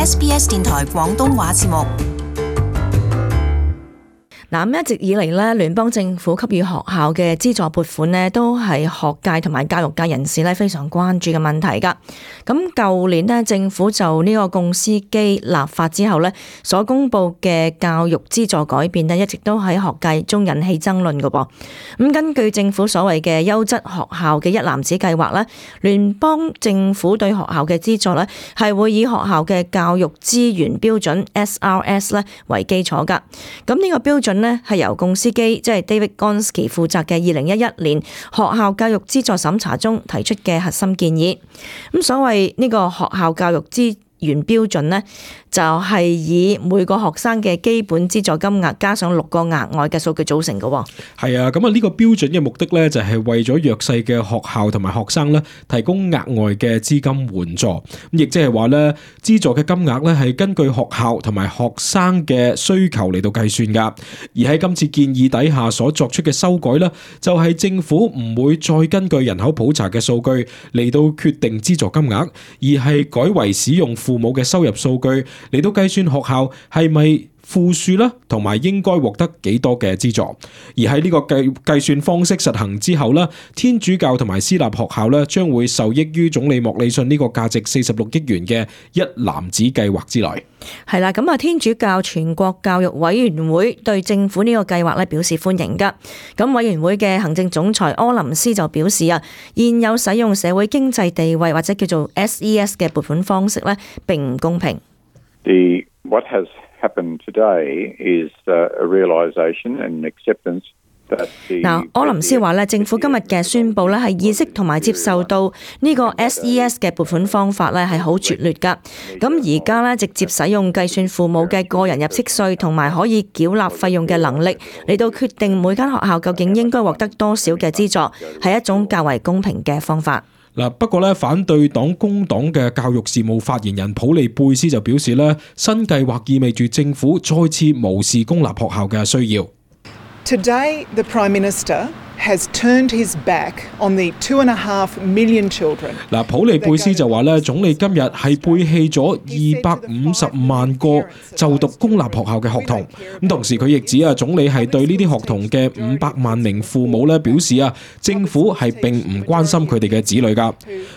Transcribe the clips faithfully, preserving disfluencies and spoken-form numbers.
S B S 電台廣東話節目。嗱，咁一直以嚟咧，聯邦政府給予學校嘅資助撥款咧，都係學界同埋教育界人士咧非常關注嘅問題㗎。咁舊年咧，政府就呢個共司機立法之後咧，所公布嘅教育資助改變咧，一直都喺學界中引起爭論㗎噃。咁根據政府所謂嘅優質學校嘅一籃子計劃咧，聯邦政府對學校嘅資助咧係會以學校嘅教育資源標準 S R S 咧為基礎㗎。咁呢個標準咧係由共司機即係 David Gonski 負責嘅二零一一年學校教育資助審查中提出嘅核心建議。咁所謂呢個學校教育資原標準呢，就係以每個學生嘅基本資助金額加上六個額外嘅數據組成嘅。係啊，咁啊呢個標準嘅目的呢，就係為咗弱勢嘅學校同埋學生呢提供額外嘅資金援助。咁亦即係話呢，資助嘅金額呢係根據學校同埋學生嘅需求嚟到計算噶。而喺今次建議底下所作出嘅修改呢，就係政府唔會再根據人口普查嘅數據嚟到決定資助金額，而係改為使用父母嘅收入數據嚟到計算學校係咪富庶啦，同埋應該獲得幾多嘅資助。而喺呢個計計算方式實行之後咧，天主教同埋私立學校咧將會受益於總理莫里遜呢個價值四十六億元嘅一籃子計劃之內。係啦，咁啊，天主教全國教育委員會對政府呢個計劃咧表示歡迎噶。咁委員會嘅行政總裁柯林斯就表示啊，現有使用社會經濟地位或者叫做 S E S 嘅撥款方式咧並唔公平。The what has happened today is a realization and acceptance that the 嗱，柯林斯話咧，政府今日嘅宣佈咧係意識同埋接受到呢個 S E S 嘅撥款方法咧係好拙劣噶。咁而家咧直接使用計算父母嘅個人入息稅同埋可以繳納費用嘅能力嚟到決定每間學校究竟應該獲得多少嘅資助，係一種較為公平嘅方法。嗱，不過咧，反對黨工黨嘅教育事務發言人普利貝斯就表示咧，新計劃意味住政府再次無視公立學校嘅需要。Today, the Prime Minister has turned his back on the two and a half million children. 嗱，普利貝斯就話咧，總理今日係背棄咗二百五十萬個就讀公立學校嘅學童。咁同時佢亦指啊，總理係對呢啲學童嘅五百萬名父母咧表示啊，政府係並唔關心佢哋嘅子女噶。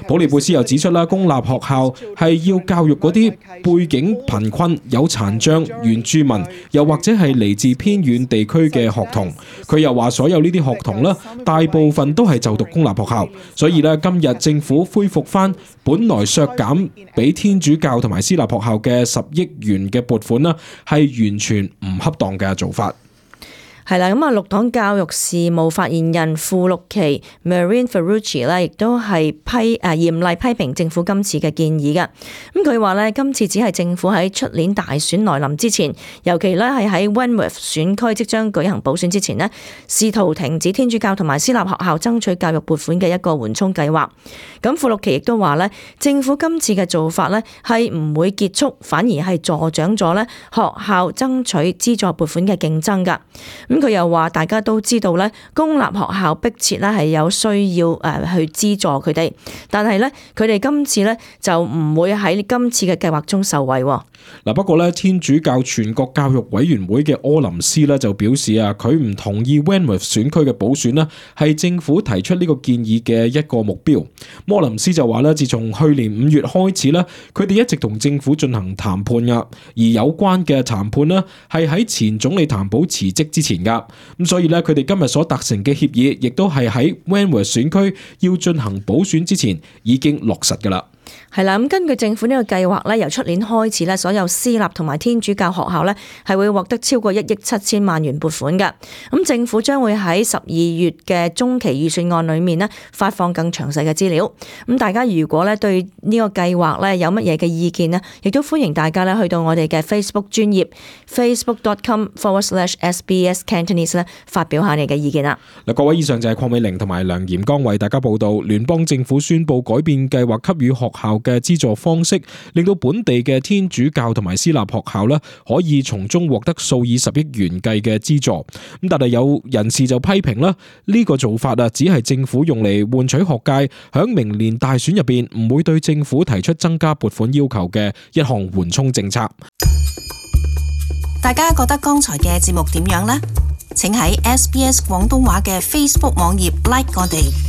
普利貝斯又指出啦，公立學校係要教育嗰啲背景貧困、有殘障、原住民，又或者係嚟自偏遠地區嘅學童。佢又話，所有呢啲學童咧，大部分都係就讀公立學校，所以咧今日政府恢復翻本來削減俾天主教同埋私立學校嘅十億元嘅撥款啦，係完全唔恰當嘅做法。係啦，咁啊，綠黨教育事務發言人傅綠琪 Marine Ferrucci 咧，亦都係批誒嚴厲批評政府今次嘅建議嘅。咁佢話咧，今次只係政府喺出年大選來臨之前，尤其咧係喺 Wentworth 選區即將舉行補選之前呢，試圖停止天主教同埋私立學校爭取教育撥款嘅一個緩衝計劃。咁傅綠琪亦都話咧，政府今次嘅做法咧係唔會結束，反而係助長咗咧學校爭取資助撥款嘅競爭㗎。咁佢又話，大家都知道咧，公立學校迫切咧係有需要誒去資助佢哋，但係咧佢哋今次咧就唔會喺今次嘅計劃中受惠。嗱，不過咧，天主教全國教育委員會嘅柯林斯咧就表示啊，佢唔同意 Wentworth 選區嘅補選呢係政府提出呢個建議嘅一個目標。柯林斯就話咧，自從去年五月開始咧，佢哋一直同政府進行談判噶，而有關嘅談判呢係喺前總理譚寶辭職之前噶。咁所以咧，佢哋今日所達成嘅協議，亦都係喺 Wentworth 選區要進行補選之前已經落實噶啦。係啦，咁根據政府呢個計劃咧，由出年開始咧，所有私立同埋天主教學校咧係會獲得超過一億七千萬元撥款嘅。咁政府將會喺十二月嘅中期預算案裏面咧發放更詳細嘅資料。咁大家如果咧對呢個計劃咧有乜嘢嘅意見呢，亦都歡迎大家咧去到我哋嘅 Facebook 專頁 facebook.com forward slash SBS Cantonese 咧發表下你嘅意見啦。嗱，各位，以上就係鄺美玲同埋梁嚴剛為大家報道聯邦政府宣布改變計劃給予學校嘅資助方式，令到本地嘅天主教同埋私立學校咧可以從中獲得數以十億元計嘅資助。咁但係有人士就批評啦，呢個做法啊，只係政府用嚟換取學界響明年大選入邊唔會對政府提出增加撥款要求嘅一項緩衝政策。大家覺得剛才嘅節目點樣呢？請喺 S B S 廣東話嘅 Facebook 網頁 like 我哋。